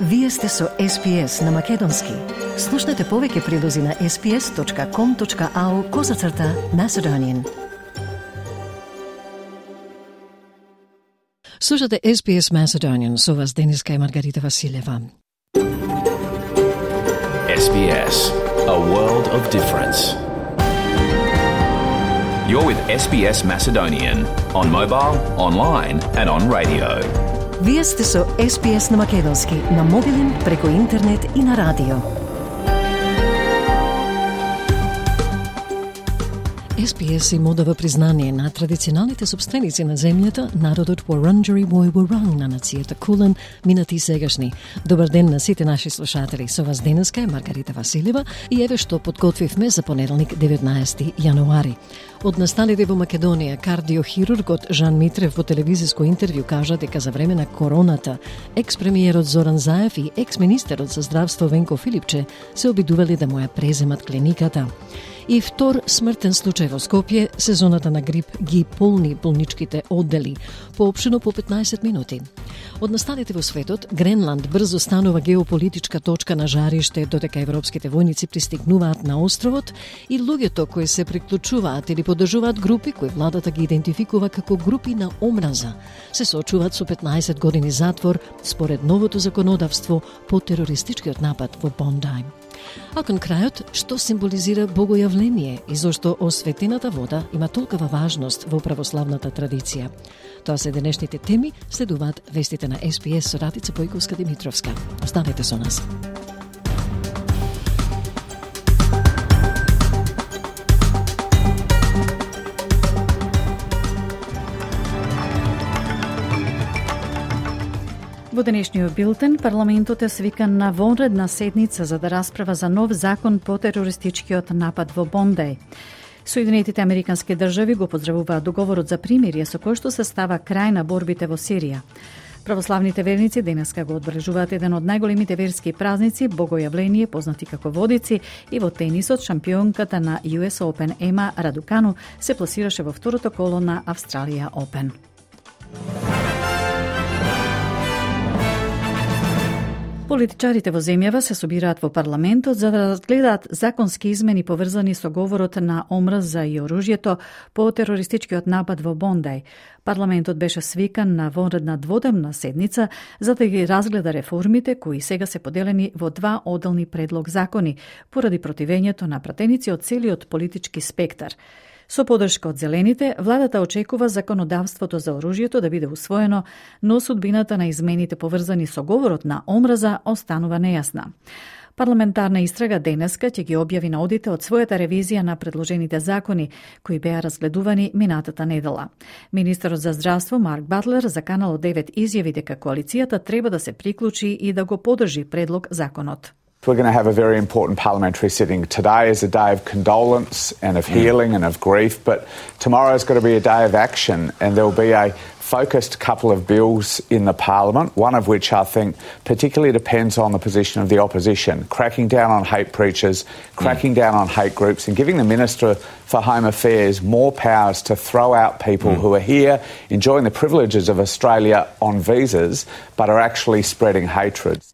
Вие сте со SPS на Македонски. Слушнете повеќе прилози на sps.com.au/Macedonian. Слушате SPS Macedonian, со вас Дениска и Маргарита Василева. SBS, a world of difference. You're with SBS Macedonian on mobile, online and on radio. Вие сте со SPS на Македонски, на мобилен, преку интернет и на радио. SPS им одава признание на традиционалните собственици на земјата, народот Wurundjeri Woi Wurrung на нацијата Кулен, минати и сегашни. Добар ден на сите наши слушатели. Со вас денеска е Маргарита Василева и еве што подготвивме за понеделник 19 јануари. Од насталите во Македонија, кардиохирургот Жан Митрев во телевизиско интервју кажа дека за време на короната екс-премиерот Зоран Заев и екс-министерот за здравство Венко Филипче се обидувале да му ја преземат клиниката. И втор смртен случај во Скопје, сезоната на грип ги полни болничките оддели, поопштено по 15 минути. Од насталите во светот, Гренланд брзо станува геополитичка точка на жариште додека европските војници пристигнуваат на островот и луѓето кои се приклучуваат или поддржуваат групи кои владата ги идентификува како групи на омраза, се соочуваат со 15 години затвор според новото законодавство по терористичкиот напад во Бондај. А кон крајот, што символизира богојавление и зошто осветената вода има толкова важност во православната традиција? Тоа се денешните теми, следуваат вестите на SPS со Радица Појковска-Димитровска. Останете со нас. Во денешниот билтен, парламентот е свикан на вонредна седница за да расправа за нов закон по терористичкиот напад во Бондај. Соединетите американски држави го поздравуваат договорот за примирие со кој што се става крај на борбите во Сирија. Православните верници денеска го одбележуваат еден од најголемите верски празници, богојавление, познати како водици, и во тенисот шампионката на US Open Ема Радукану се пласираше во второто коло на Австралија Open. Политичарите во земјава се собираат во парламентот за да разгледаат законски измени поврзани со говорот на омраза и оружјето по терористичкиот напад во Бондај. Парламентот беше свикан на вонредна дводневна седница за да ги разгледа реформите кои сега се поделени во два одделни предлог закони поради противењето на пратеници од целиот политички спектар. Со поддршка од зелените, владата очекува законодавството за оружјето да биде усвоено, но судбината на измените поврзани со говорот на омраза останува нејасна. Парламентарна истрага денеска ќе ги објави на одите од својата ревизија на предложените закони, кои беа разгледувани минатата недела. Министерот за здравство Марк Батлер заканал од 9 изјави дека коалицијата треба да се приклучи и да го поддржи предлог законот. We're going to have a very important parliamentary sitting. Today is a day of condolence and of healing and of grief, but tomorrow's got to be a day of action, and there'll be a focused couple of bills in the parliament, one of which I think particularly depends on the position of the opposition, cracking down on hate preachers, cracking down on hate groups, and giving the Minister for Home Affairs more powers to throw out people who are here enjoying the privileges of Australia on visas, but are actually spreading hatred.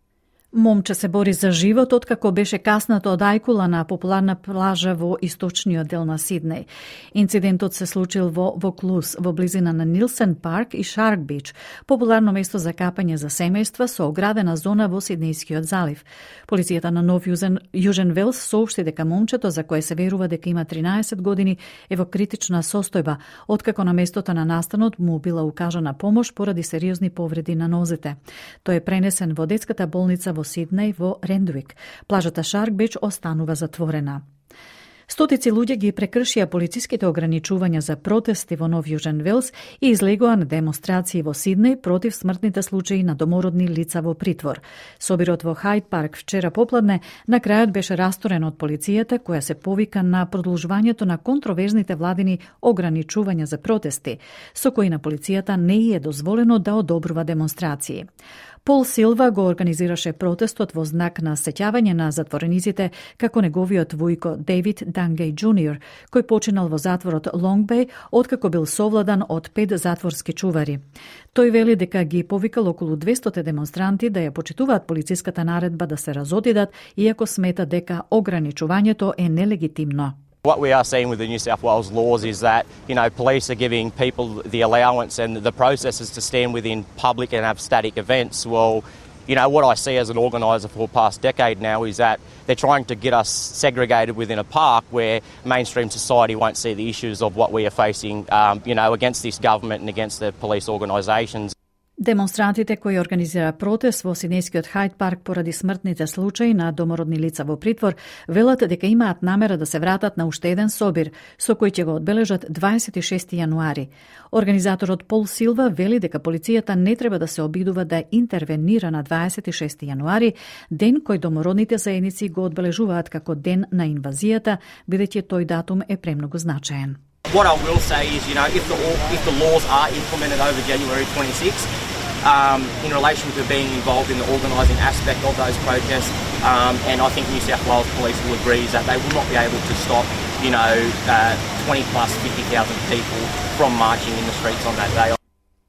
Момче се бори за живот откако беше каснато од ајкула на популарна плажа во источниот дел на Сиднеј. Инцидентот се случил во Вaucluse, во близина на Нилсен парк и Шарк Бич, популарно место за капање за семејства со оградена зона во Сиднејскиот залив. Полицијата на Нов Јужен Велс соопшти дека момчето, за кое се верува дека има 13 години, е во критична состојба, откако на местото на настанот му била укажана помош поради сериозни повреди на нозете. Тој е пренесен во детската болница во Сиднеј во Рендвик. Плажата Шарк Бич останува затворена. Стотици луѓе ги прекршија полициските ограничувања за протести во Нов Јужен Велс и излегоа на демонстрации во Сиднеј против смртните случаи на домородни лица во притвор. Собирот во Хајд парк вчера попладне на крајот беше расторен од полицијата, која се повика на продолжувањето на контроверзните владини ограничувања за протести, со кои на полицијата не е дозволено да одобрува демонстрации. Пол Силва го организираше протестот во знак на сеќавање на затворениците како неговиот вујко Дейвид Дангеј Джуниор, кој починал во затворот Лонг Беј откако бил совладан од 5 затворски чувари. Тој вели дека ги повикал околу 200 демонстранти да ја почитуваат полициската наредба да се разодидат, иако смета дека ограничувањето е нелегитимно. What we are seeing with the New South Wales laws is that, police are giving people the allowance and the processes to stand within public and have static events. Well, what I see as an organiser for the past decade now is that they're trying to get us segregated within a park where mainstream society won't see the issues of what we are facing, against this government and against the police organisations. Демонстрантите кои организира протест во Сиднејскиот Хајд парк поради смртните случаи на домородни лица во притвор, велат дека имаат намера да се вратат на уште еден собир, со кој ќе го одбележат 26 јануари. Организаторот Пол Силва вели дека полицијата не треба да се обидува да интервенира на 26 јануари, ден кој домородните заедници го одбележуваат како ден на инвазијата, бидејќи тој датум е премногу значаен. What I will say is, if the laws are implemented over January 26th, in relation to being involved in the organising aspect of those protests, and I think New South Wales Police will agree that they will not be able to stop, 20 plus 50,000 people from marching in the streets on that day.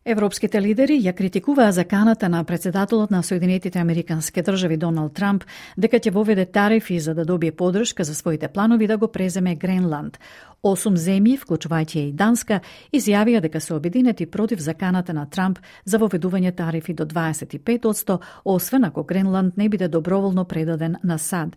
Европските лидери ја критикуваа заканата на председателот на Соединетите Американски држави Доналд Трамп дека ќе воведе тарифи за да добие поддршка за своите планови да го преземе Гренланд. 8 земји, вклучувајќи и Данска, изјавија дека се обединети против заканата на Трамп за воведување тарифи до 25%, освен ако Гренланд не биде доброволно предаден на САД.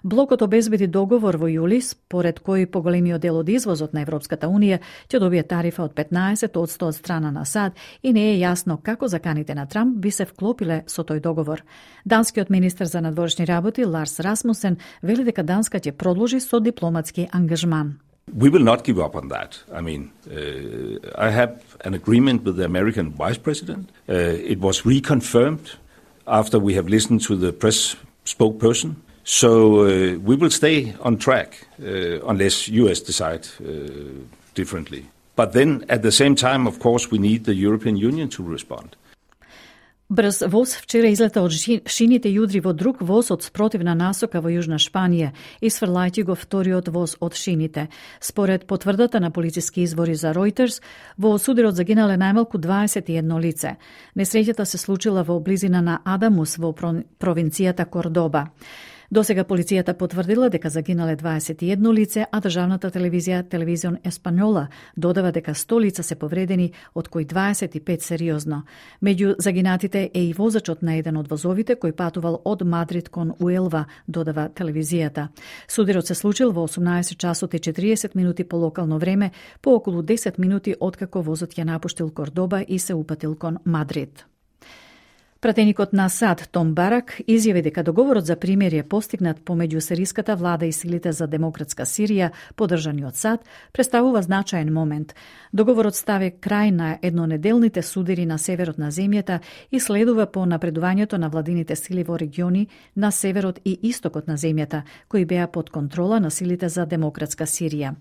Блокот обезбеди договор во јули, според кој поголемиот дел од извозот на Европската Унија ќе добие тарифа од 15% од страна на САД и не е јасно како заканите на Трамп би се вклопиле со тој договор. Данскиот министер за надворешни работи Ларс Расмусен вели дека Данска ќе продолжи со дипломатски ангажман. We will not give up on that. I have an agreement with the American Vice President. It was reconfirmed after we have listened to the press spokesperson. So we will stay on track unless US decide differently. But then at the same time, of course, we need the European Union to respond. Брз воз вчера излета од шините и удри во друг воз од спротивна насока во Јужна Шпанија, исфрлајќи го вториот воз од шините. Според потврдата на полициски извори за Reuters, во сударот загинале најмалку 21 лице. Несреќата се случила во близина на Адамус во провинцијата Кордоба. Досега полицијата потврдила дека загинале 21 лице, а државната телевизија Телевизион Еспањола додава дека 100 лица се повредени, од кои 25 сериозно. Меѓу загинатите е и возачот на еден од возовите кој патувал од Мадрид кон Уелва, додава телевизијата. Сударот се случил во 18 часот и 40 минути по локално време, по околу 10 минути откако возот ја напуштил Кордоба и се упатил кон Мадрид. Пратеникот на САД Том Барак изјави дека договорот за примирие постигнат помеѓу сириската влада и силите за демократска Сирија, поддржани од САД, представува значаен момент. Договорот стави крај на еднонеделните судири на северот на земјата и следува по напредувањето на владините сили во региони на северот и истокот на земјата, кои беа под контрола на силите за демократска Сирија.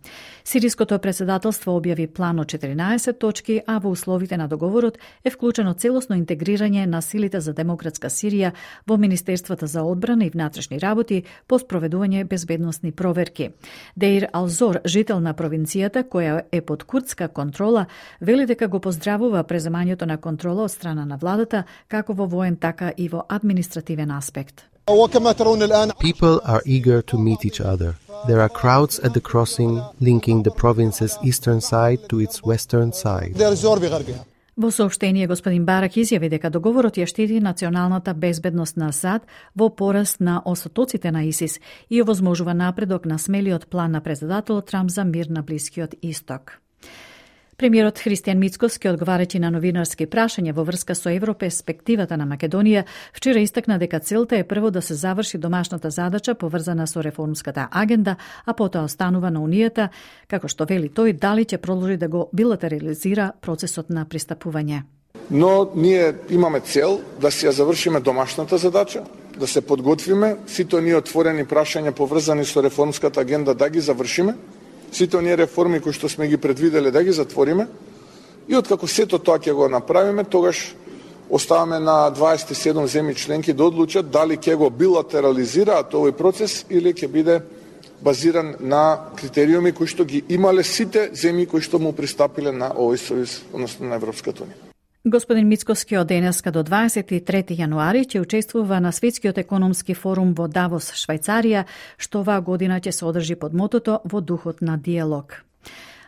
Сириското председателство објави план од 14 точки, а во условите на договорот е вклучено целосно интегрирање на силите за демократска Сирија во Министерствата за одбрана и внатрешни работи по спроведување безбедносни проверки. Деир Алзор, жител на провинцијата која е под курдска контрола, вели дека го поздравува преземањето на контрола од страна на владата, како во воен, така и во административен аспект. People are eager to meet each other. There are crowds at the crossing linking the province's eastern side to its western side. Во соопштение, господин Барак изјави дека договорот ја штити националната безбедност на САД во пораст на осатоците на ИСИС и овозможува напредок на смелиот план на председателот Трамп за мир на Блискиот Исток. Премиерот Христијан Мицкоски, одговарајќи на новинарски прашања во врска со европерспективата на Македонија, вчера истакна дека целта е прво да се заврши домашната задача поврзана со реформската агенда, а потоа останува на Унијата, како што вели тој, дали ќе продолжи да го билатерализира процесот на пристапување. Но ние имаме цел да си ја завршиме домашната задача, да се подготвиме, сите оние отворени прашања поврзани со реформската агенда да ги завршиме, сите оние реформи кои што сме ги предвиделе да ги затвориме и откако сето тоа ќе го направиме, тогаш оставаме на 27 земји членки да одлучат дали ќе го билатерализираат овој процес или ќе биде базиран на критериуми кои што ги имале сите земји кои што му пристапиле на овој сојуз, односно на Европската унија. Господин Мицкоски од денеска до 23 јануари ќе учествува на Светскиот економски форум во Давос, Швајцарија, што оваа година ќе се одржи под мотото во духот на диалог.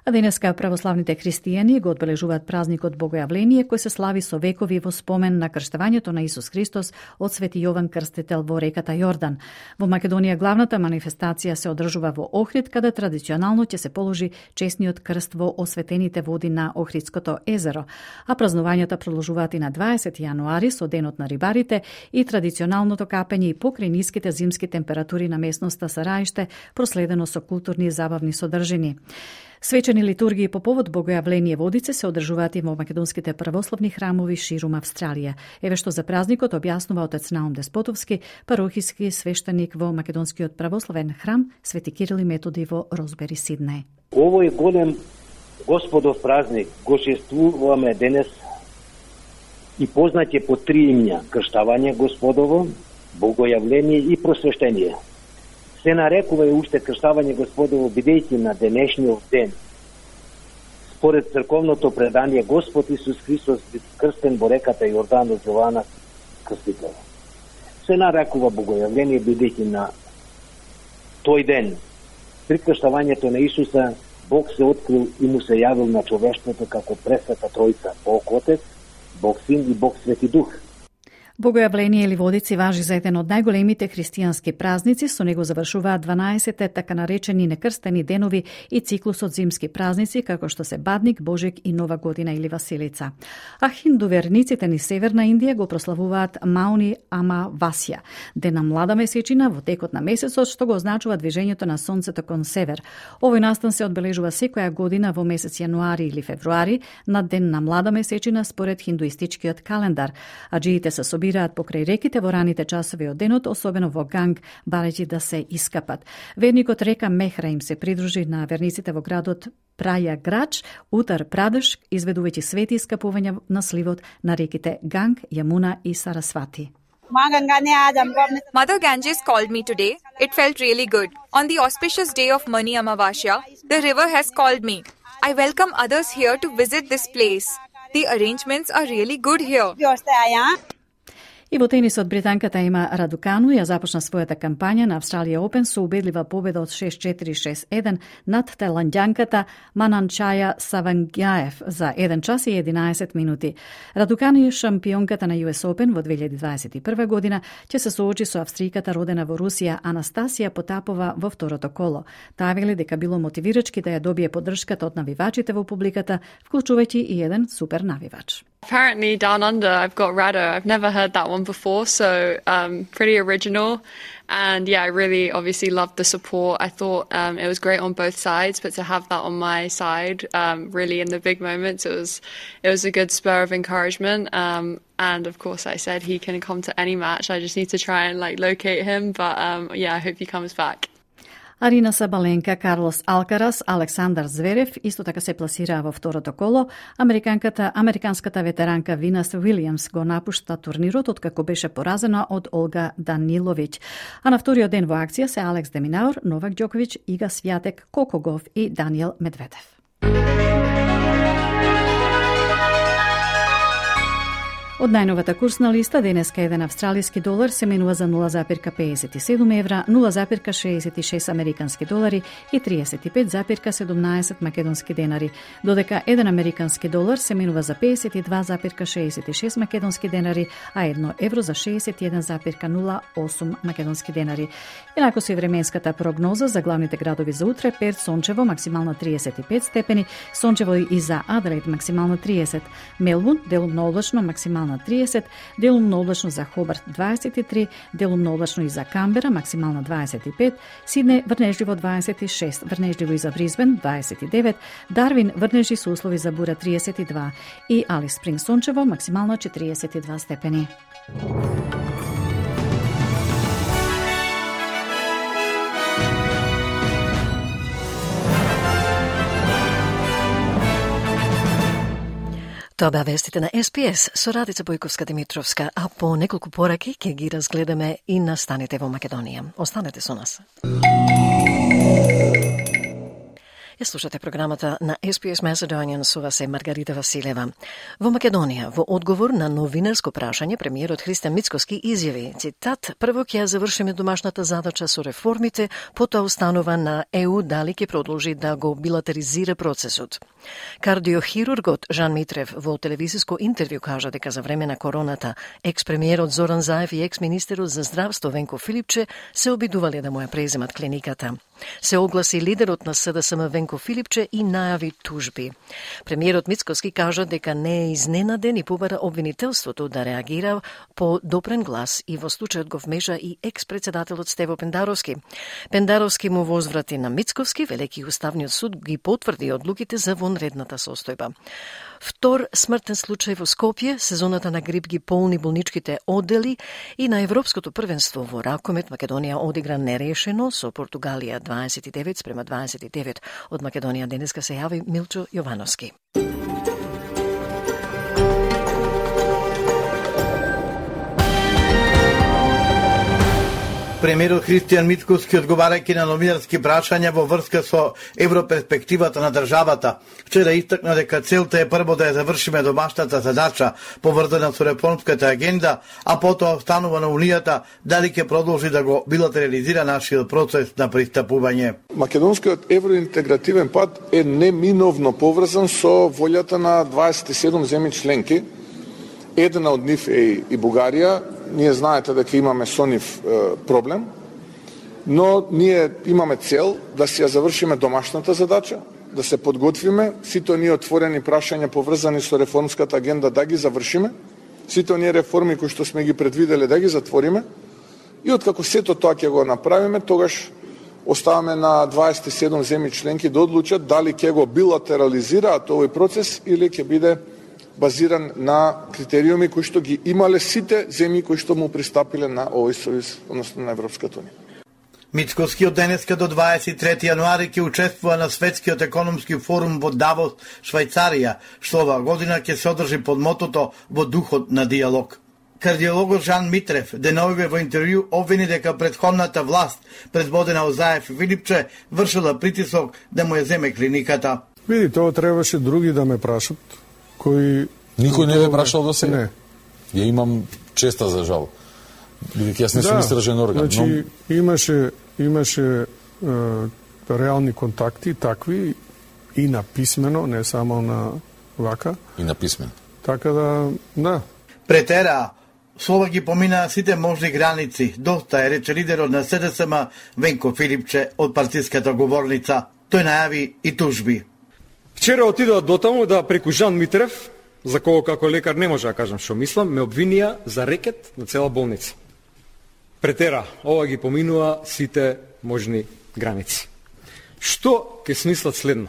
А денеска православните христијани го одбележуваат празникот Богојавление, кој се слави со векови во спомен на крштевањето на Исус Христос од Свети Јован Крстител во реката Јордан. Во Македонија главната манифестација се одржува во Охрид, каде традиционално ќе се положи честниот крст во осветените води на Охридското езеро, а празнувањата продолжуваат и на 20 јануари со денот на рибарите и традиционалното капење и покрај ниските зимски температури на местноста Сараиште, проследено со културни и забавни содржини. Свечени литургии по повод Богојавление водице се одржуваат и во македонските православни храмови ширум Австралија. Еве што за празникот објаснува отец Наум Деспотовски, парохиски свештеник во македонскиот православен храм Свети Кирил и Методи во Розбери, Сиднеј. Овој голем Господов празник го чествуваме денес и познат е по три имја: крштавање Господово, Богојавление и просвештение. Се нарекува и уште крштавање Господово, бидејќи на денешниот ден, според црковното предание, Господ Исус Христос бил крстен во реката Јордан од Јована Крстител. Се нарекува Богојавление, бидејќи на тој ден, при крштавањето на Исуса, Бог се открил и му се јавил на човештвото како пресвета Тројца, Бог Отец, Бог Син и Бог Свети Дух. Богојавление или водици важи за еден од најголемите христијански празници, со него завршуваат 12-те така наречени некрстени денови и циклусот зимски празници, како што се Бадник, Божик и Нова година или Василица. А хиндуверниците ни Северна Индија го прославуваат Мауни Амавасја, ден на млада месечина во текот на месецот, што го означува движењето на сонцето кон север. Овој настан се одбележува секоја година во месец јануари или февруари, на ден на млада месечина според хиндуистичкиот календар. Аџиите се собираат покрај реките во раните часови од денот, особено во Ганг, барејќи да се искапат. Верникот река Мехра им се придружи на верниците во градот Прајаграч, Утар Прадеш, изведувајќи свети искапувања на сливот на реките Ганг, Јамуна и Сарасвати. Mother Ganges called me today. It felt really good. On the auspicious day of Mani Amavasya, the river has called me. I welcome others here to visit this place. The arrangements are really good here. И во тенисот британката Ема Радукану ја започна својата кампања на Австралија Опен со убедлива победа од 6-4-6-1 над таиланѓанката Мананчаја Савангјаев за 1 час и 11 минути. Радукану е шампионката на US Open во 2021 година, ќе се соочи со австријката родена во Русија Анастасија Потапова во второто коло. Таа вели дека било мотивирачки да ја добие поддршката од навивачите во публиката, вклучувајќи и еден супер навивач. Apparently down under I've got Rado. I've never heard that one before, so pretty original. And yeah, I really obviously loved the support. I thought it was great on both sides, but to have that on my side, really in the big moments, it was a good spur of encouragement. And of course I said he can come to any match. I just need to try and locate him, but yeah, I hope he comes back. Арина Сабаленка, Карлос Алкарас, Александар Зверев исто така се пласираа во второто коло. Американската ветеранка Винас Уилијамс го напушта турнирот откако беше поразена од Олга Даниловиќ. А на вториот ден во акција се Алекс Деминаур, Новак Ѓоковиќ, Ига Свјатек, Кокогов и Даниел Медведев. Од најновата курсна листа, денеска еден австралиски долар се менува за 0,57 евра, 0,66 американски долари и 35,17 македонски денари, додека еден американски долар се менува за 52,66 македонски денари, а 1 евро за 61,08 македонски денари. Инаку се временската прогноза за главните градови за утре: Перт сончево, максимално 35 степени, сончево и за Аделаид максимално 30, Мелбурн делумно облачно, максимално 30, делумно облачно за Хобарт 23, делумно облачно и за Камбера, максимално 25, Сидне врнежливо 26, врнежливо и за Бризбен 29, Дарвин врнежи со услови за бура 32 и Алис Спринг сончево, максимално 42 степени. Тоа беа вестите на СПС со Радица Бојковска-Димитровска, а по неколку пораки ќе ги разгледаме и настаните во Македонија. Останете со нас. Ја слушате програмата на SPS Macedonian, со вас е Маргарита Василева. Во Македонија, во одговор на новинарско прашање, премиерот Христијан Мицкоски изјави, цитат, прво ќе ја завршиме домашната задача со реформите, потоа устанува на ЕУ дали ќе продолжи да го билатеризира процесот. Кардиохирургот Жан Митрев во телевизиско интервју кажа дека за време на короната екс-премиерот Зоран Заев и екс-министерот за здравство Венко Филипче се обидувале да му ја преземат клиниката. Се огласи лидерот на СДСМ Венко Филипче и најави тужби. Премиерот Мицкоски кажа дека не е изненаден и побара обвинителството да реагира по допрен глас и во случајот го вмежа и екс-председателот Стево Пендаровски. Пендаровски му возврати на Мицковски, велики Уставниот суд ги потврди одлуките за вонредната состојба. Втор смртен случај во Скопје, сезоната на грип ги полни болничките оддели и на Европското првенство во ракомет Македонија одигра нерешено со Португалија 29-29. Од Македонија денеска се јави Милчо Јовановски. Премиерот Христијан Мицкоски, одговарајќи на новинарски прашања во врска со европерспективата на државата, вчера истакна дека целта е прво да ја завршиме домашната задача поврзана со реформската агенда, а потоа останува на Унијата дали ќе продолжи да го билатерализира нашиот процес на пристапување. Македонскиот евроинтегративен пат е неминовно поврзан со волјата на 27 земји членки. Една од нив е и Бугарија. Ние знаете дека имаме со нив проблем, но ние имаме цел да си ја завршиме домашната задача, да се подготвиме, сите оние отворени прашања поврзани со реформската агенда да ги завршиме, сите оние реформи кои што сме ги предвиделе да ги затвориме, и откако сето тоа ќе го направиме, тогаш оставаме на 27 земји членки да одлучат дали ќе го билатерализираат овој процес или ќе биде базиран на критериуми кои што ги имале сите земји кои што му пристапиле на овој сојуз, односно на Европската унија. Мицкоски од денеска до 23 јануари ќе учествува на Светскиот економски форум во Давос, Швајцарија, што оваа година ќе се одржи под мотото во духот на диалог. Кардиологот Жан Митрев деновиве во интервју обвини дека претходната власт, предводена од Заев и Филипче, вршила притисок да му ја земе клиниката. Види, тоа требаше други да ме прашат, кои... Никој не ве прашал до сега? Не. Ја имам честа за жал. Бидејќи јас не сум истражен орган. Значи, имаше реални контакти, такви, и на писмено, не само на вака. И на писмено. Така да. Претера, слова ги поминаа сите можни граници. Доста е, рече лидерот на СДСМ Венко Филипче од партиската говорница. Тој најави и тужби. Вчера отидоа до таму да преку Жан Митрев, за кого како лекар не може да кажам што мислам, ме обвинија за рекет на цела болница. Претера, ова ги поминува сите можни граници. Што ќе смислат следно?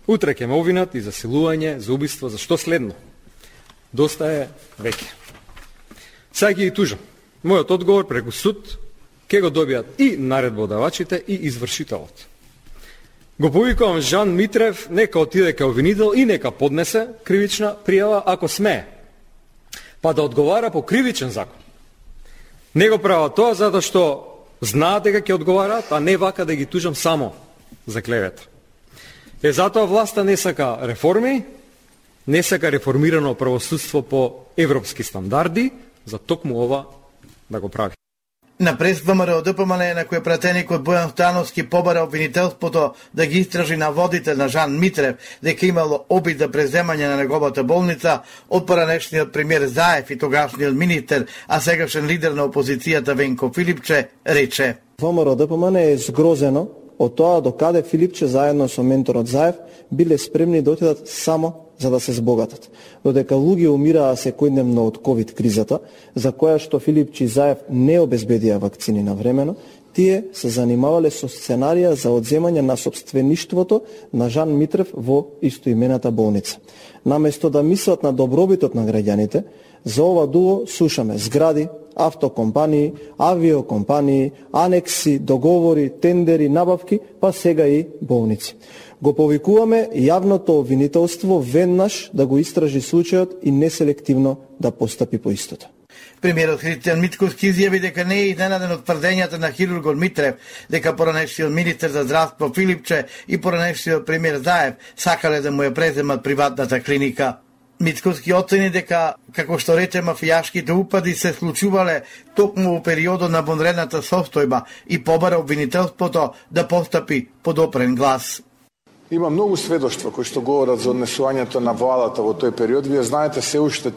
Утре ќе ме обвинат и за силување, за убиство, за што следно? Доста е веќе. Сега ги тужам. Мојот одговор преку суд ќе го добијат и наредбодавачите и извршителот. Го повикувам Жан Митрев, нека отиде кај обвинител и нека поднесе кривична пријава ако смее, па да одговара по кривичен закон. Не го прават тоа затоа што знаат дека ќе одговараат, а не вака да ги тужам само за клевета. Затоа власта не сака реформи, не сака реформирано правосудство по европски стандарди, за токму ова да го прави. На прес ВМРО ДПМН на кој пратеникот Бојан Становски побара обвинителството да ги истражи на водител на Жан Митрев дека имало обид за преземање на неговата болница, од поранешниот премиер Заев и тогашниот министер, а сегашен лидер на опозицијата Венко Филипче, рече: ВМРО ДПМН е згрозено од тоа докаде Филипче заедно со менторот Заев биле спремни да отидат само за да се збогатат. Додека луѓе умираа секојдневно од ковид кризата, за која што Филипче и Заев не обезбедија вакцини навремено, тие се занимавале со сценарија за одземање на сопствеништвото на Жан Митрев во истоимената болница. Наместо да мислат на добробитот на граѓаните, за ова дуо слушаме згради, автокомпании, авиокомпании, анекси, договори, тендери, набавки, па сега и болници. Го повикуваме јавното обвинителство веднаш да го истражи случајот и неселективно да постапи по истото. Премиерот Христијан Мицкоски изјави дека не е изненаден од тврдењата на хирургот Митрев дека поранешниот министер за здравство Филипче и поранешниот премиер Заев сакале да му ја преземат приватната клиника. Мицкоски оцени дека, како што рече, мафијашките упади се случувале токму во периодот на вонредната состојба и побара обвинителството да постапи под опрен глас. Има многу сведоштва кои што говорат за однесувањето на владата во тој период. Вие знаете се уште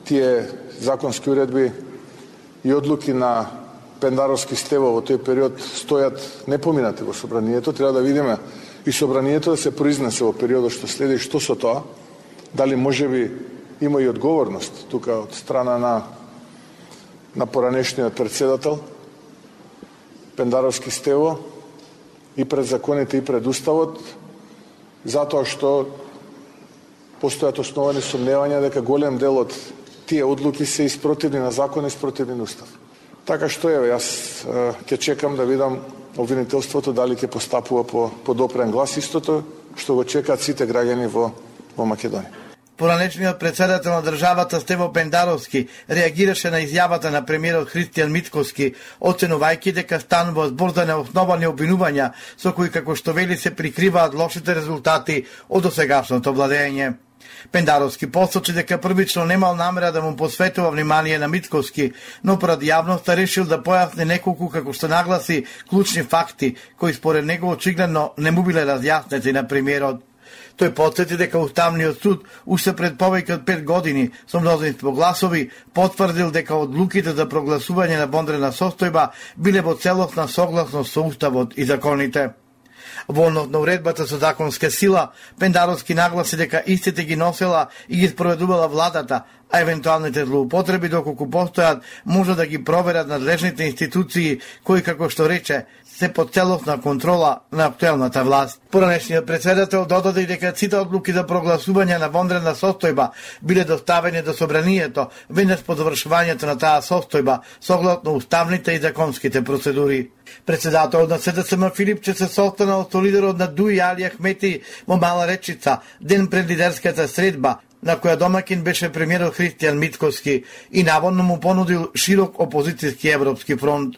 тие законски уредби и одлуки на Пендаровски Стево во тој период стојат непоминати во собранието. Треба да видиме и собранието да се произнесе во периодот што следи што со тоа. Дали можеби има и одговорност тука од страна на поранешниот председател Пендаровски Стево и пред законите и пред уставот, затоа што постојат основани сомневања дека голем дел од тие одлуки се испротивни на закон и испротивни на устав. Така што јас ќе чекам да видам обвинителството дали ќе постапува по допрен глас, истото што го чекаат сите граѓани во Македонија. Поранешниот председател на државата Стево Пендаровски реагираше на изјавата на премиерот Христијан Мицкоски, оценувајќи дека станува збор за неосновани обвинувања со кои, како што вели, се прикриваат лошите резултати од досегашното владење. Пендаровски посочи дека првично немал намера да му посветува внимание на Мицкоски, но пред јавноста решил да појасни неколку, како што нагласи, клучни факти, кои според него очигледно не му биле разјаснети на премиерот. Тој потсети дека Уставниот суд уште пред повеќе од 5 години со мнозинство гласови потврдил дека одлуките за прогласување на вонредна состојба биле во целосна согласност со уставот и законите. Во однос на уредбата со законска сила, Пендаровски нагласи дека истите ги носела и ги спроведувала владата, а евентуалните злоупотреби, доколку постојат, може да ги проверат надлежните институции кои, како што рече, се под целосна контрола на актуелната власт. Поранешниот председател додаде дека сите одлуки за прогласување на вонредна состојба биле доставени до собранието веднаш по завршувањето на таа состојба, согласно уставните и законските процедури. Председателот на СДСМ Филипче се состанал со лидерот на ДУИ Али Ахмети во Мала Речица ден пред лидерската средба, на која домакин беше премиерот Христијан Мицкоски и наводно му понудил широк опозицијски европски фронт.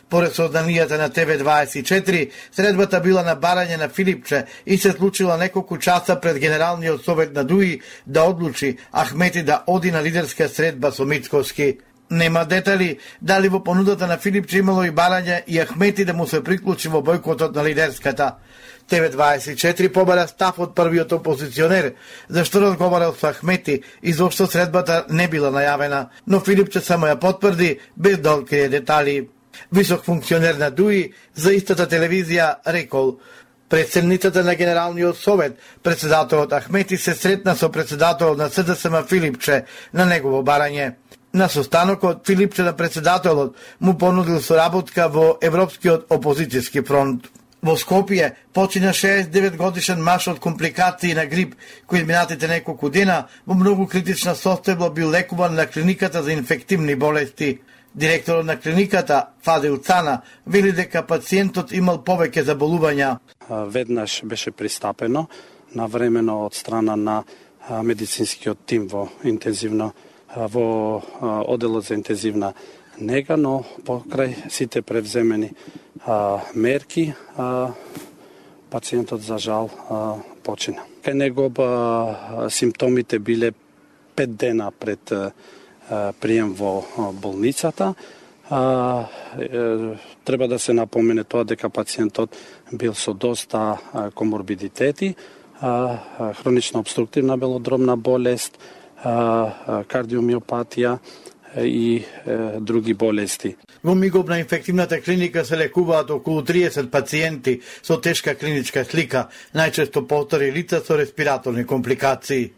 Поред сознанијата на ТВ24, средбата била на барање на Филипче и се случила неколку часа пред Генералниот совет на ДУИ да одлучи Ахмети да оди на лидерска средба со Мицкоски. Нема детали дали во понудата на Филипче имало и барање и Ахмети да му се приклучи во бојкотот на лидерската. ТВ24 побара став од првиот опозиционер, зашто разговарал со Ахмети и зошто средбата не била најавена, но Филипче само ја потврди без да открие детали. Висок функционер на ДУИ за истата телевизија рекол: пред седницата на Генералниот совет, председателот Ахмети се сретна со председателот на СДСМ Филипче на негово барање. На состанокот Филипче на председателот му понудил соработка во Европскиот опозицијски фронт. Во Скопје почина 69 годишен маж од компликации на грип, кој изминатите неколку дена во многу критична состојба бил лекуван на клиниката за инфективни болести. Директорот на клиниката, Фадил Цана, вели дека пациентот имал повеќе заболувања. Веднаш беше пристапено навремено од страна на медицинскиот тим во оделот за интензивна нега, но покрај сите превземени мерки, пациентот за жал почина. Кај него симптомите биле 5 дена пред прием во болницата. Треба да се напомене тоа дека пациентот бил со доста коморбидитети, хронична обструктивна белодробна болест, кардиомиопатија и други болести. Во мигов на инфективната клиника се лекуваат околу 30 пациенти со тешка клиничка слика, најчесто постари лица со респираторни компликации.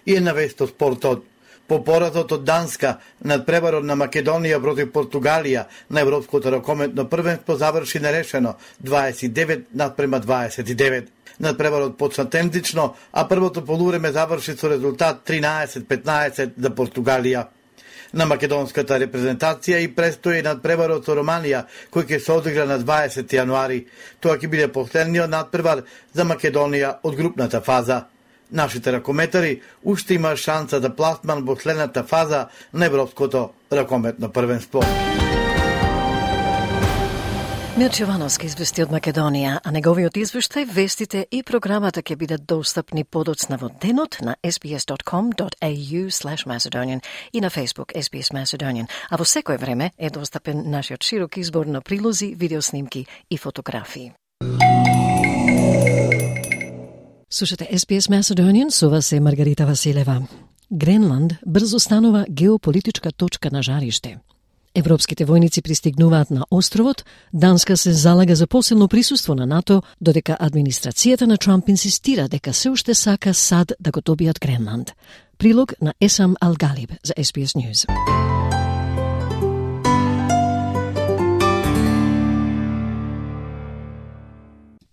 И една вест од спортот. По поразот од Данска над преварот на Македонија против Португалија на Европското ракометно првенство заврши нерешено 29-29. Надпреварот почна темпично, а првото полувреме заврши со резултат 13-15 за Португалија. на македонската репрезентација и престои надпреварот со Романија, кој ќе се одигра на 20 јануари. Тоа ќе биде последниот надпревар за Македонија од групната фаза. Нашите ракометари уште има шанса за пласман во следната фаза на Европското ракометно првенство. Мирче Јовановски извести од Македонија, а неговиот извештај, вестите и програмата ќе бидат достапни подоцна во денот на sbs.com.au/Macedonian и на Facebook SBS Macedonian, а во секое време е достапен нашиот широк избор на прилози, видеоснимки и фотографии. Слушате SBS Macedonian, со вас е Маргарита Василева. Гренланд брзо станува геополитичка точка на жариште. Европските војници пристигнуваат на островот, Данска се залага за посилно присуство на НАТО, додека администрацијата на Трамп инсистира дека се уште сака САД да го добијат Гренланд. Прилог на Есам Алгалиб за SBS News.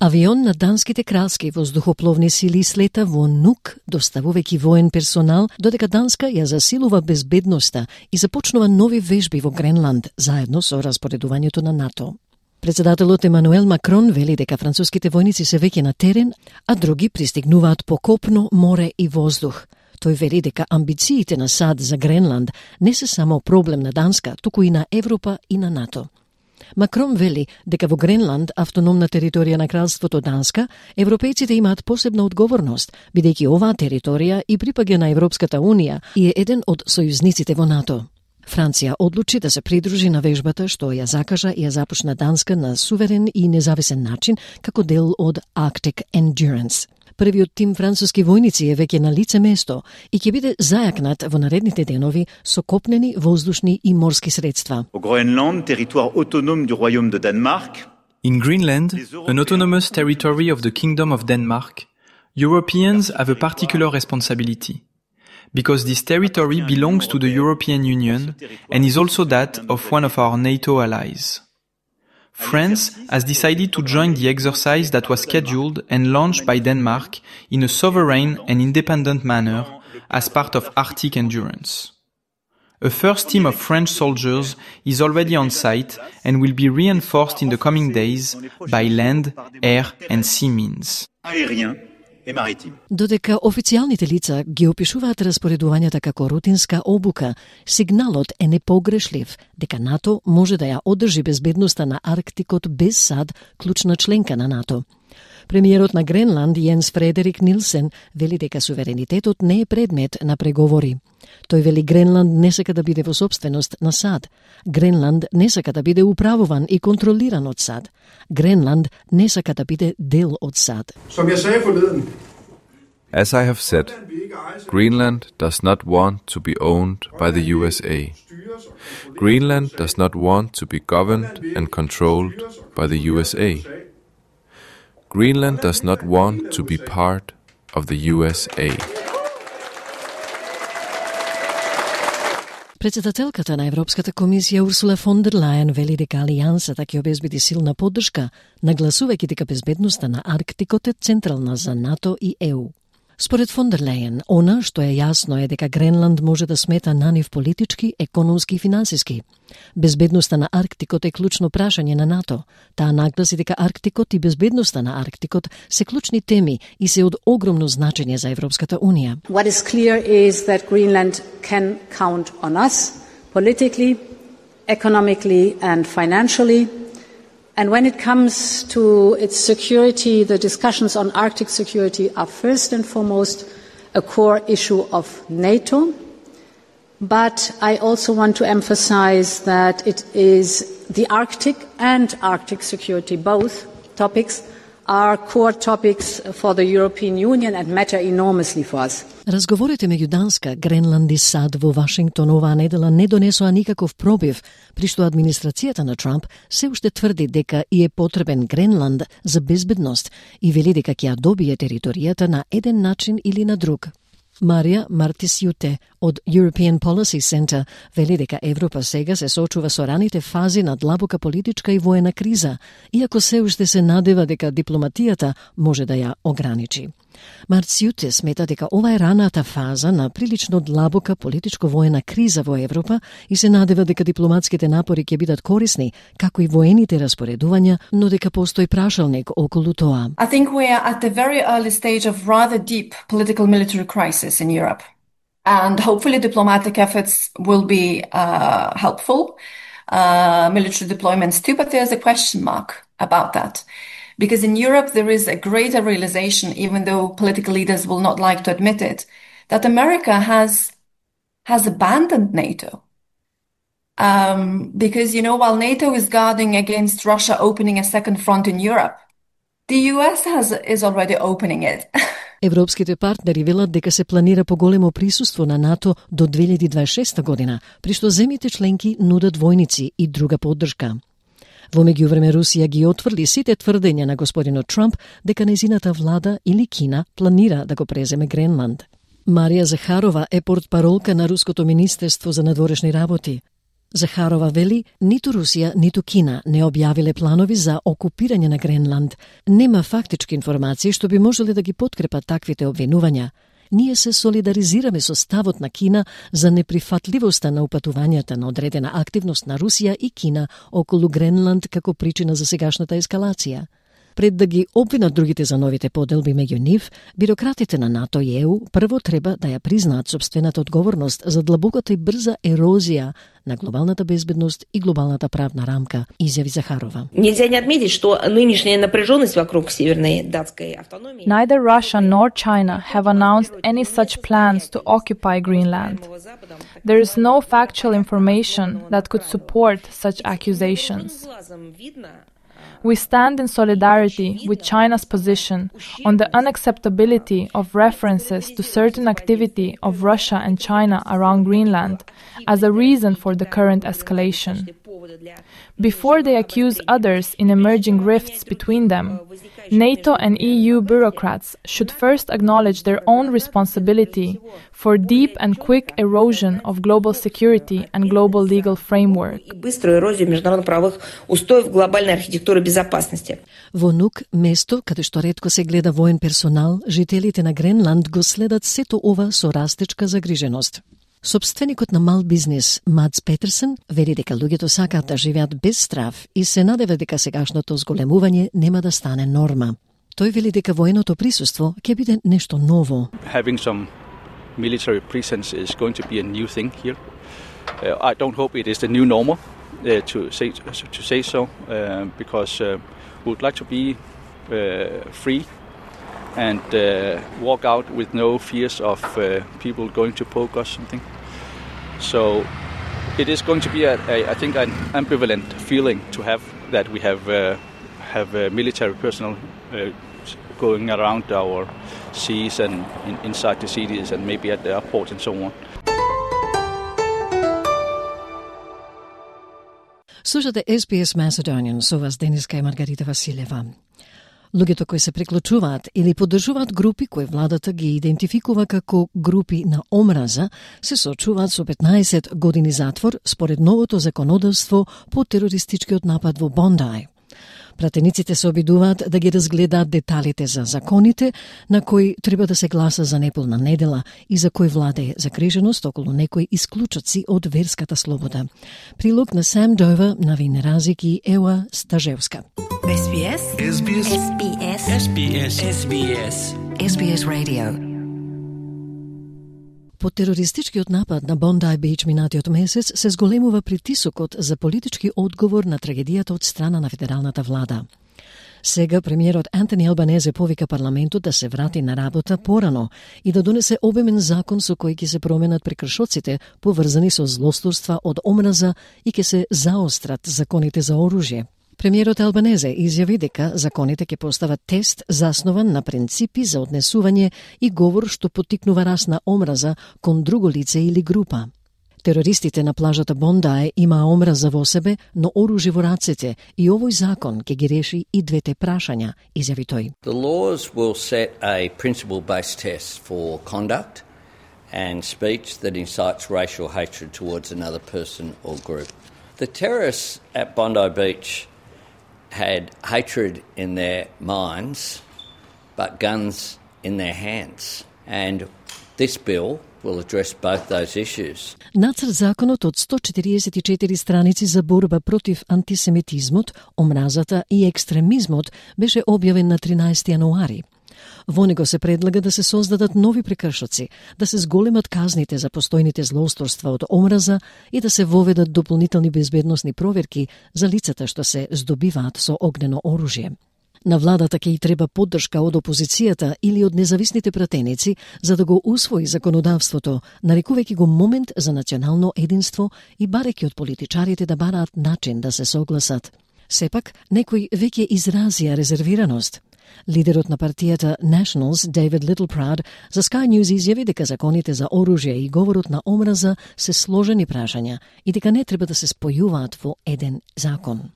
Авион на данските кралски воздухопловни сили слета во Нук, доставувајќи воен персонал, додека Данска ја засилува безбедноста и започнува нови вежби во Гренланд, заедно со распоредувањето на НАТО. Председателот Емануел Макрон вели дека француските војници се веќе на терен, а други пристигнуваат по копно, море и воздух. Тој вели дека амбициите на САД за Гренланд не се само проблем на Данска, туку и на Европа и на НАТО. Макрон вели дека во Гренланд, автономна територија на кралството Данска, европејците имаат посебна одговорност, бидејќи оваа територија и припаѓа на Европската Унија и е еден од сојузниците во НАТО. Франција одлучи да се придружи на вежбата што ја закажа и ја започна Данска на суверен и независен начин како дел од Arctic Endurance. Првиот тим француски војници е веќе на лице место и ќе биде зајакнат во наредните денови со копнени, воздушни и морски средства. Au Groenland, territoire autonome du royaume de Danemark. In Greenland, an autonomous territory of the Kingdom of Denmark, Europeans have a particular responsibility, because this territory belongs to the European Union and is also that of one of our NATO allies. France has decided to join the exercise that was scheduled and launched by Denmark in a sovereign and independent manner as part of Arctic Endurance. A first team of French soldiers is already on site and will be reinforced in the coming days by land, air and sea means. Додека официјалните лица ги опишуваат распоредувањата како рутинска обука, сигналот е непогрешлив дека НАТО може да ја одржи безбедноста на Арктикот без САД, клучна членка на НАТО. Премиерот на Гренланд, Јенс Фредерик Нилсен, вели дека суверенитетот не е предмет на преговори. Тој вели Гренланд не сака да биде во собственост на САД. Гренланд не сака да биде управуван и контролиран од САД. Гренланд не сака да биде дел од САД. As I have said, Greenland does not want to be owned by the USA. Greenland does not want to be governed and controlled by the USA. Greenland does not want to be part of the USA. Председателката на Европската комисија Урсула фон дер Лајен вели дека алијансата ќе обезбеди силна поддршка, нагласувајќи дека безбедноста на Арктикот е централна за НАТО и ЕУ. Според фон дер Лајен, она што е јасно е дека Гренланд може да смета на нив политички, економски и финансиски. Безбедноста на Арктикот е клучно прашање на НАТО. Таа нагласи дека Арктикот и безбедноста на Арктикот се клучни теми и се од огромно значење за Европската Унија. What is clear is that Greenland can count on us politically, economically and financially. And when it comes to its security, the discussions on Arctic security are first and foremost a core issue of NATO. But I also want to emphasize that it is the Arctic and Arctic security, both topics, are core topics for the European Union and matter enormously for us. Разговорите меѓу Данска, Гренланд и САД во Вашингтон оваа недела не донесоа никаков пробив, при што администрацијата на Трамп се уште тврди дека и е потребен Гренланд за безбедност и вели дека ќе ја добие територијата на еден начин или на друг. Марија Мартисјуте од European Policy Center вели дека Европа сега се соочува со раните фази на длабока политичка и воена криза, иако се уште се надева дека дипломатијата може да ја ограничи. Марциуте смета дека ова е раната фаза на прилично длабока политичко-воена криза во Европа и се надева дека дипломатските напори ќе бидат корисни, како и воените распоредувања, но дека постои прашалник околу тоа. I think we are at the very early stage of rather deep political military crisis in Europe. And hopefully diplomatic efforts will be helpful. Military deployments too, but there's a question mark about that. Because in Europe there is a greater realization, even though political leaders will not like to admit it, that America has abandoned NATO. Because, while NATO is guarding against Russia opening a second front in Europe, the US is already opening it. Европските партнери велат дека се планира поголемо присуство на НАТО до 2026 година, при што земјите членки нудат војници и друга поддршка. Во меѓувреме Русија ги отврли сите тврдења на господинот Трамп дека нејзината влада или Кина планира да го преземе Гренланд. Марија Захарова е портпаролка на Руското министерство за надворешни работи. Захарова вели, ниту Русија, ниту Кина не објавиле планови за окупирање на Гренланд. Нема фактички информации што би можеле да ги подкрепат таквите обвинувања. Ние се солидаризираме со ставот на Кина за неприфатливоста на упатувањата на одредена активност на Русија и Кина околу Гренланд како причина за сегашната ескалација. Пред да ги обвинат другите за новите поделби меѓу нив, бирократите на НАТО и ЕУ прво треба да ја признаат собствената одговорност за длабоката и брза ерозија на глобалната безбедност и глобалната правна рамка, изјави Захарова. Нельзя не отметить, что нынешняя напряженность вокруг северной датской автономии. Neither Russia nor China have announced any such plans to occupy Greenland. There is no factual information that could support such accusations. We stand in solidarity with China's position on the unacceptability of references to certain activity of Russia and China around Greenland as a reason for the current escalation. Before they accuse others in emerging rifts between them, NATO and EU bureaucrats should first acknowledge their own responsibility for deep and quick erosion of global security and global legal framework. Во Нук, место каде што ретко се гледа воен персонал, жителите на Гренланд го следат сето ова со растечка загриженост. Собственикот на мал бизнес Мадс Петерсен вели дека луѓето сакаат да живеат без страв и се надева дека сегашното зголемување нема да стане норма. Тој вели дека военото присуство ќе биде нешто ново. Having some military presence is going to be a new thing here. I don't hope it is the new normal to say so because we would like to be free and walk out with no fears of people going to poke us something. So it is going to be, I think, an ambivalent feeling to have that we have military personnel going around our seas and inside the cities and maybe at the airport and so on. Слушате SBS Macedonian, со вас Дениска и Маргарита Василева. Луѓето кои се приклучуваат или поддржуваат групи кои владата ги идентификува како групи на омраза, се соочуваат со 15 години затвор според новото законодавство по терористичкиот напад во Бондај. Пратениците се обидуваат да ги разгледаат деталите за законите на кои треба да се гласа за неполна недела и за кои владее загриженост околу некои исклучоци од верската слобода. Прилог на Сам Дова, Навин Разик и Ева Стажевска. SBS. SBS. SBS. SBS. SBS. SBS Radio. По терористичкиот напад на Бондај Бич минатиот месец се зголемува притисокот за политички одговор на трагедијата од страна на федералната влада. Сега премиерот Антони Албанезе повика парламентот да се врати на работа порано и да донесе обемен закон со кој ќе се променат прекршоците поврзани со злосторства од омраза и ќе се заострат законите за оружје. Премиерот Албанезе изјави дека законите ќе постават тест заснован на принципи за однесување и говор што поттикнува раст на омраза кон друго лице или група. Терористите на плажата Бондај има омраза во себе, но оружје во рацете и овој закон ќе ги реши и двете прашања, изјави тој. The laws will set a principle-based test for conduct and speech that incites racial hatred towards another person or group. The terrorists at Bondi Beach had hatred in their minds, but guns in their hands. And this bill will address both those issues. Нацрт законот од 144 страници за борба против антисемитизмот, омразата и екстремизмот беше објавен на 13 јануари. Во него се предлага да се создадат нови прекршоци, да се зголемат казните за постојните злоусторства од омраза и да се воведат дополнителни безбедносни проверки за лицата што се здобиваат со огнено оружје. На владата ќе и треба поддршка од опозицијата или од независните пратеници за да го усвои законодавството, нарекувајќи го момент за национално единство и барејќи од политичарите да бараат начин да се согласат. Сепак, некои веќе изразија резервираност. Лидерот на партијата Nationals, David Littleproud, за Sky News изјави дека законите за оружје и говорот на омраза се сложени прашања и дека не треба да се спојуваат во еден закон.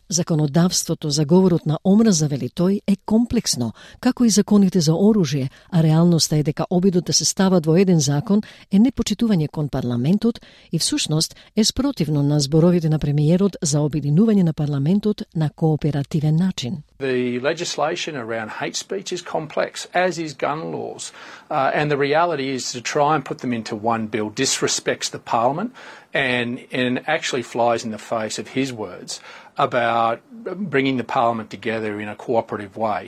Законодавството за говорот на омраза, вели тој, е комплексно, како и законите за оружје, а реалноста е дека обидот да се стават во еден закон е непочитување кон парламентот и всушност е спротивно на зборовите на премиерот за обединување на парламентот на кооперативен начин. The legislation around hate speech is complex, as is gun laws. And the reality is to try and put them into one bill disrespects the Parliament and actually flies in the face of his words about bringing the Parliament together in a cooperative way.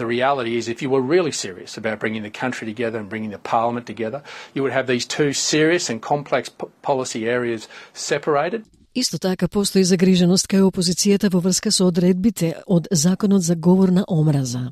The reality is if you were really serious about bringing the country together and bringing the Parliament together, you would have these two serious and complex policy areas separated. Исто така постои загриженост кај опозицијата во врска со одредбите од Законот за говор на омраза.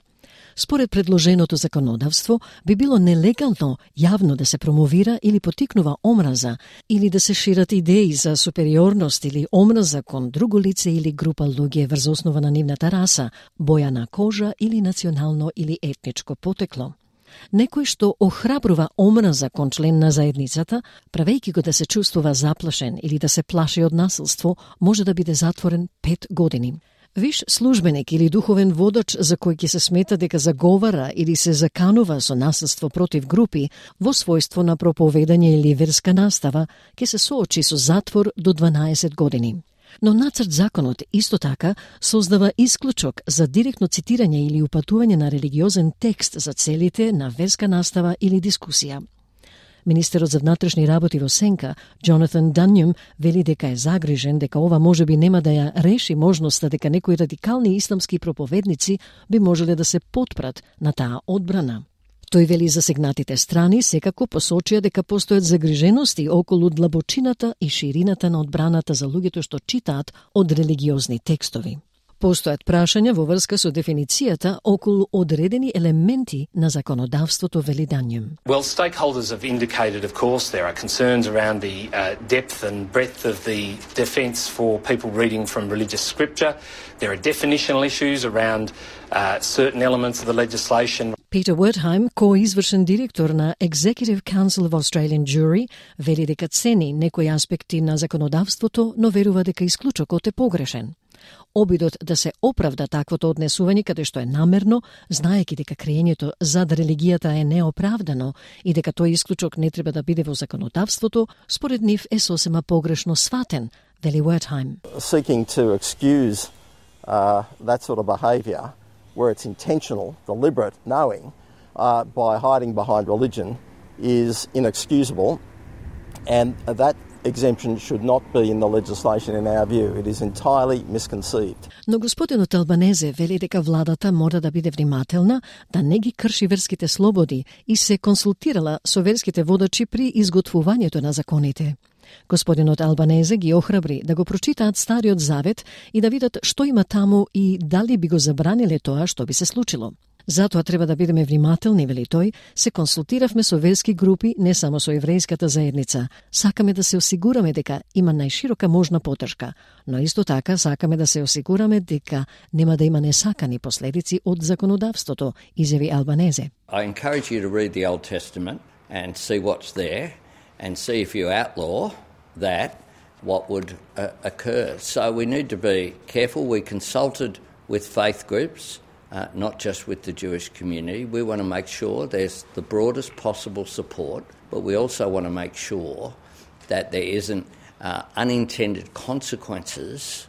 Според предложеното законодавство, би било нелегално јавно да се промовира или потикнува омраза или да се шират идеи за супериорност или омраза кон друго лице или група луѓе врз основа на нивната раса, боја на кожа или национално или етничко потекло. Некој што охрабрува омраза кон член на заедницата, правејќи го да се чувствува заплашен или да се плаши од насилство, може да биде затворен 5 години. Виш службеник или духовен водач за кој ќе се смета дека заговара или се заканува со насилство против групи во својство на проповедање или верска настава, ќе се соочи со затвор до 12 години. Но нацрт законот исто така создава исклучок за директно цитирање или упатување на религиозен текст за целите на верска настава или дискусија. Министерот за внатрешни работи во Сенка, Джонатан Данјум, вели дека е загрижен дека ова можеби нема да ја реши можноста дека некои радикални исламски проповедници би можеле да се потпрат на таа одбрана. Тој вели засегнатите страни секако посочија дека постојат загрижености околу длабочината и ширината на одбраната за луѓето што читаат од религиозни текстови. Постојат прашања во врска со дефиницијата околу одредени елементи на законодавството, вели Данјум. Well, stakeholders have indicated, of course, there are concerns around the depth and breadth of the defence for people reading from religious scripture. There are definitional issues around certain elements of the legislation. Peter Wertheim, коизвршен директор на Executive Council of Australian Jury, вели дека цени некои аспекти на законодавството, но верува дека исклучокот е погрешен. Обидот да се оправда таквото однесување каде што е намерно, знаејќи дека криењето зад религијата е неоправдано и дека тој исклучок не треба да биде во законодавството, според нив е сосема погрешно сватен, вели Wertheim. Seeking to excuse that sort of behaviour where it's intentional, deliberate, knowing, by hiding behind religion is inexcusable, and that exemption should not be in the legislation in our view. It is entirely misconceived. Но господинот Албанезе вели дека владата мора да биде внимателна да не ги крши верските слободи и се консултирала со верските водачи при изготвувањето на законите. Господинот Албанезе ги охрабри да го прочитаат Стариот Завет и да видат што има таму и дали би го забраниле тоа што би се случило. Затоа треба да бидеме внимателни, вели тој, се консултиравме со верски групи, не само со еврејската заедница. Сакаме да се осигураме дека има најширока можна поддршка, но исто така сакаме да се осигураме дека нема да има несакани последици од законодавството, изјави Албанезе. I encourage you to read the Old Testament and see what's there and see if you outlaw that, what would occur. So we need to be careful. We consulted with faith groups, not just with the Jewish community. We want to make sure there's the broadest possible support, but we also want to make sure that there isn't unintended consequences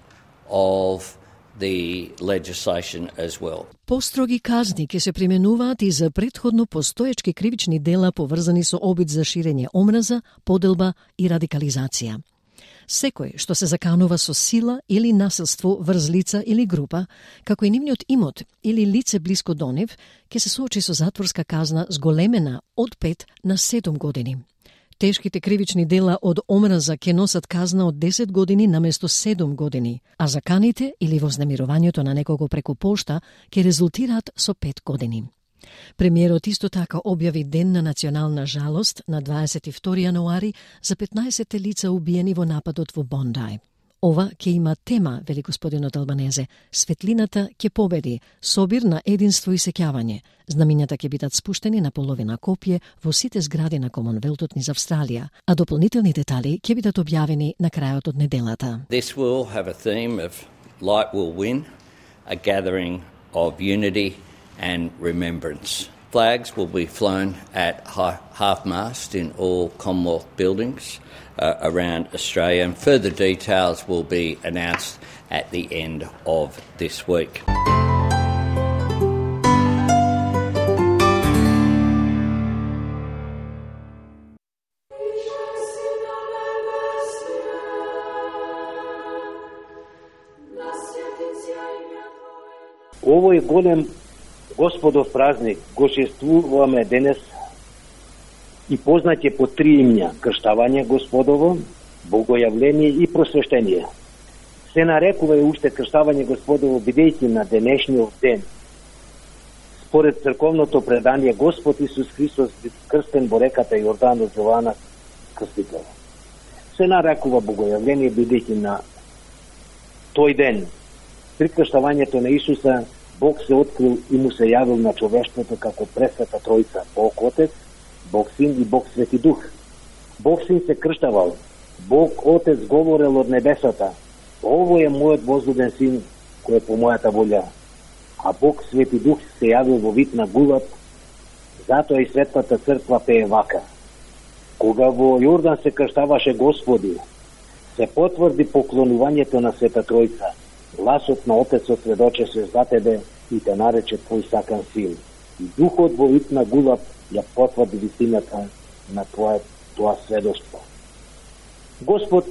of the legislation as well. Построги казни ќе се применуваат и за претходно постоечки кривични дела поврзани со обид за ширење омраза, поделба и радикализација. Секој што се заканува со сила или насилство врз лица или група, како и нивниот имот или лице блиско до нив, ќе се соочи со затворска казна зголемена од 5 на 7 години. Тешките кривични дела од омраза ќе носат казна од 10 години наместо 7 години, а заканите или вознемирувањето на некого преку пошта ќе резултираат со 5 години. Премиерот исто така објави ден на национална жалост на 22 јануари за 15 лица убиени во нападот во Бондај. Ова ќе има тема, вели господинот Албанезе, светлината ќе победи, собир на единство и сеќавање. Знамињата ќе бидат спуштени на половина копие во сите згради на Комонвелтот низ Австралија, а дополнителни детали ќе бидат објавени на крајот од неделата. This will have a theme of light will win, a gathering of unity and remembrance. Flags will be flown at half-mast in all Commonwealth buildings around Australia, and further details will be announced at the end of this week. Овој голем Господов празник го чествуваме денес и познат е по 3 имња: крштавање Господово, богојавление и просвештение. Се нарекува и уште крштавање Господово, бидејќи на денешниот ден, според црковното предание, Господ Исус Христос бил крстен во реката Јордан од Јована Крстителот. Се нарекува богојавление, бидејќи на тој ден, при крштавањето на Исуса, Бог се открил и му се јавил на човештвото како пресвета Тројца, Бог Отец, Бог Син и Бог Свети Дух. Бог Син се крштавал, Бог Отец говорел од небесата: ово е мојот возлюбен Син, кој е по мојата волја. А Бог Свети Дух се јавил во вид на гулат, затоа и Светата црква пее вака: кога во Јордан се крштаваше Господи, се потврди поклонувањето на Света Тројца. Гласот на Отецот сведочеше за тебе и те нарече твој сакан син. И Духот во вид на гулат ја потврди вистината на тоа сведоштво. Господ,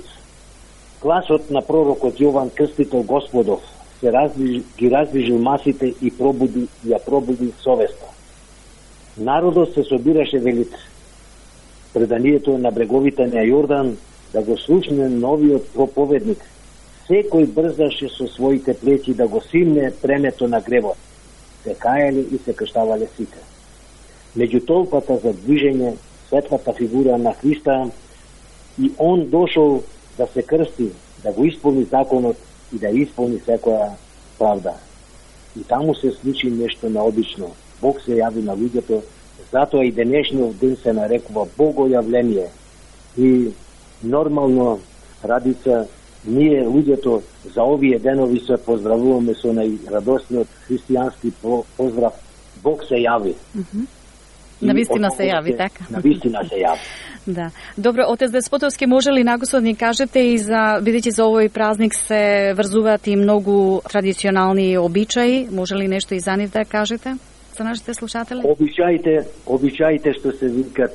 гласот на пророкот Јован Крстител Господов, ги раздвижил масите и ја пробуди совеста. Народот се собираше, вели преданието, на бреговите на Јордан, да го слушне новиот проповедник. Секој брзаше со своите плеќи да го симне премето на гребот. Се кајали и се крштавале сите. Меѓу толпата за движење, светлата фигура на Христа, и он дошол да се крсти, да го исполни законот и да исполни секоја правда. И таму се случи нешто необично. Бог се јави на луѓето, затоа и денешниот ден се нарекува Богојавление. И нормално, Радица, ние луѓето за овие денови се поздравуваме со најрадосниот христијански поздрав: Бог се јави. Навистина се јави, така? Навистина се јави. Да. Добро, отец Деспотовски, може ли нагосот ни кажете, и за, бидејќи за овој празник се врзуваат и многу традиционални обичаи, може ли нешто и за нив да кажете за нашите слушатели? Обичаите што се викат,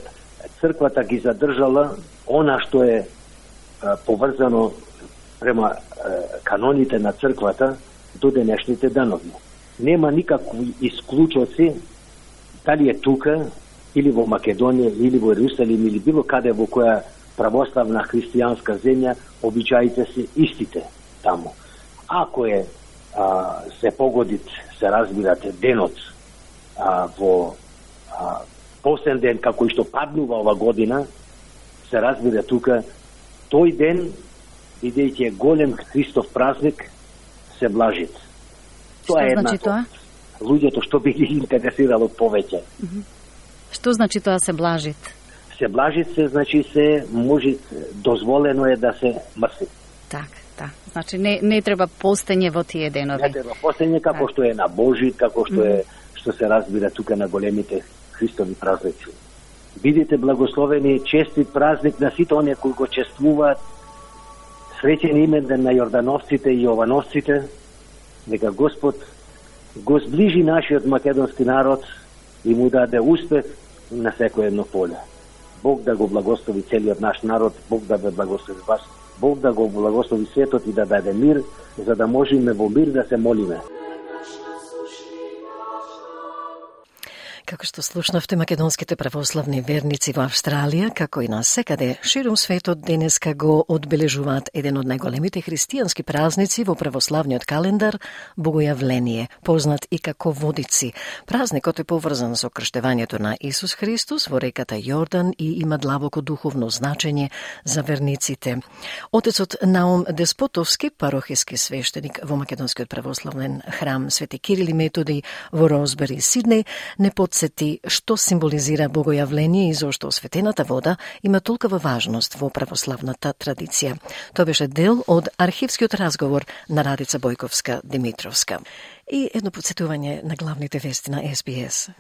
црквата ги задржала она што е поврзано према каноните на црквата до денешните денови. Нема никакви исклучоци, дали е тука, или во Македонија, или во Ерусалим, или било каде во која православна христијанска земја, обичаите се истите таму. Ако се погодит, се разбирате, денот во посен ден, како и што паднува ова година, се разбира тука, тој ден, бидејќи е голем Христов празник, се блажит. Тоа е една луѓето што би ги интересирало повеќе. Што значи тоа се блажит? Се блажит се, значи се може, дозволено е да се мрси. Так. Значи не треба постење во тие денови. Не треба постење, како што е на Божит, како што е, што се разбира тука на големите Христови празници. Бидете благословени, честит празник на сите оние кои го чествуваат. Среќен имен ден на Јордановците и Јовановците, Нека Господ го зближи нашиот македонски народ и му даде успех на секој едно поле. Бог да го благослови целиот наш народ, Бог да ве благослови вас, Бог да го благослови светот и да даде мир, за да можеме во мир да се молиме. Како што слушнавте, македонските православни верници во Австралија, како и насекаде ширум светот, денеска го одбележуваат еден од најголемите христијански празници во православниот календар, Богојавление, познат и како Водици. Празникот е поврзан со крштевањето на Исус Христос во реката Јордан и има длабоко духовно значење за верниците. Отецот Наум Деспотовски, парохиски свештеник во македонскиот православен храм Свети Кирил и Методи во Розбери, Сиднеј, не подсети што символизира Богојавление и зошто осветената вода има толкова важност во православната традиција. Тоа беше дел од архивскиот разговор на Радица Бојковска-Димитровска. И едно подсетување на главните вести на SBS.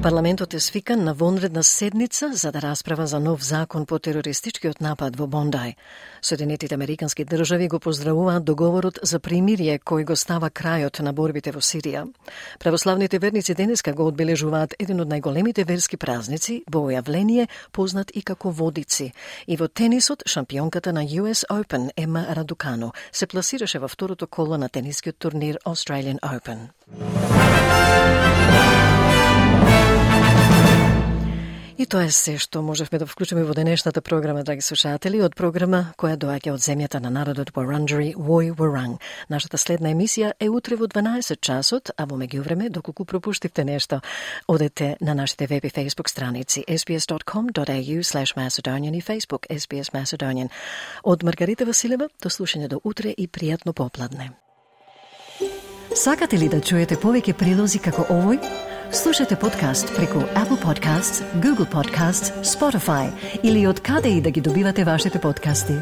Парламентот е свикан на вонредна седница за да расправа за нов закон по терористичкиот напад во Бондај. Соединетите американски држави го поздравуваат договорот за примирие кој го става крајот на борбите во Сирија. Православните верници денеска го одбележуваат еден од најголемите верски празници, Богојавление, познат и како Водици. И во тенисот, шампионката на US Open, Ема Радукано, се пласираше во второто коло на тенискиот турнир Australian Open. И тоа е се што можевме да вклучиме во денешната програма, драги слушатели, од програма која доаѓа од земјата на народот Wurundjeri Woi Wurrung. Нашата следна емисија е утре во 12 часот, а во меѓувреме, доколку пропуштивте нешто, одете на нашите веб и фейсбук страници sbs.com.au/Macedonian и Facebook SBS Macedonian. Од Маргарита Василева, до слушање до утре и пријатно попладне. Сакате ли да чуете повеќе прилози како овој? Слушате подкаст преку Apple Podcasts, Google Podcasts, Spotify или од каде и да ги добивате вашите подкасти.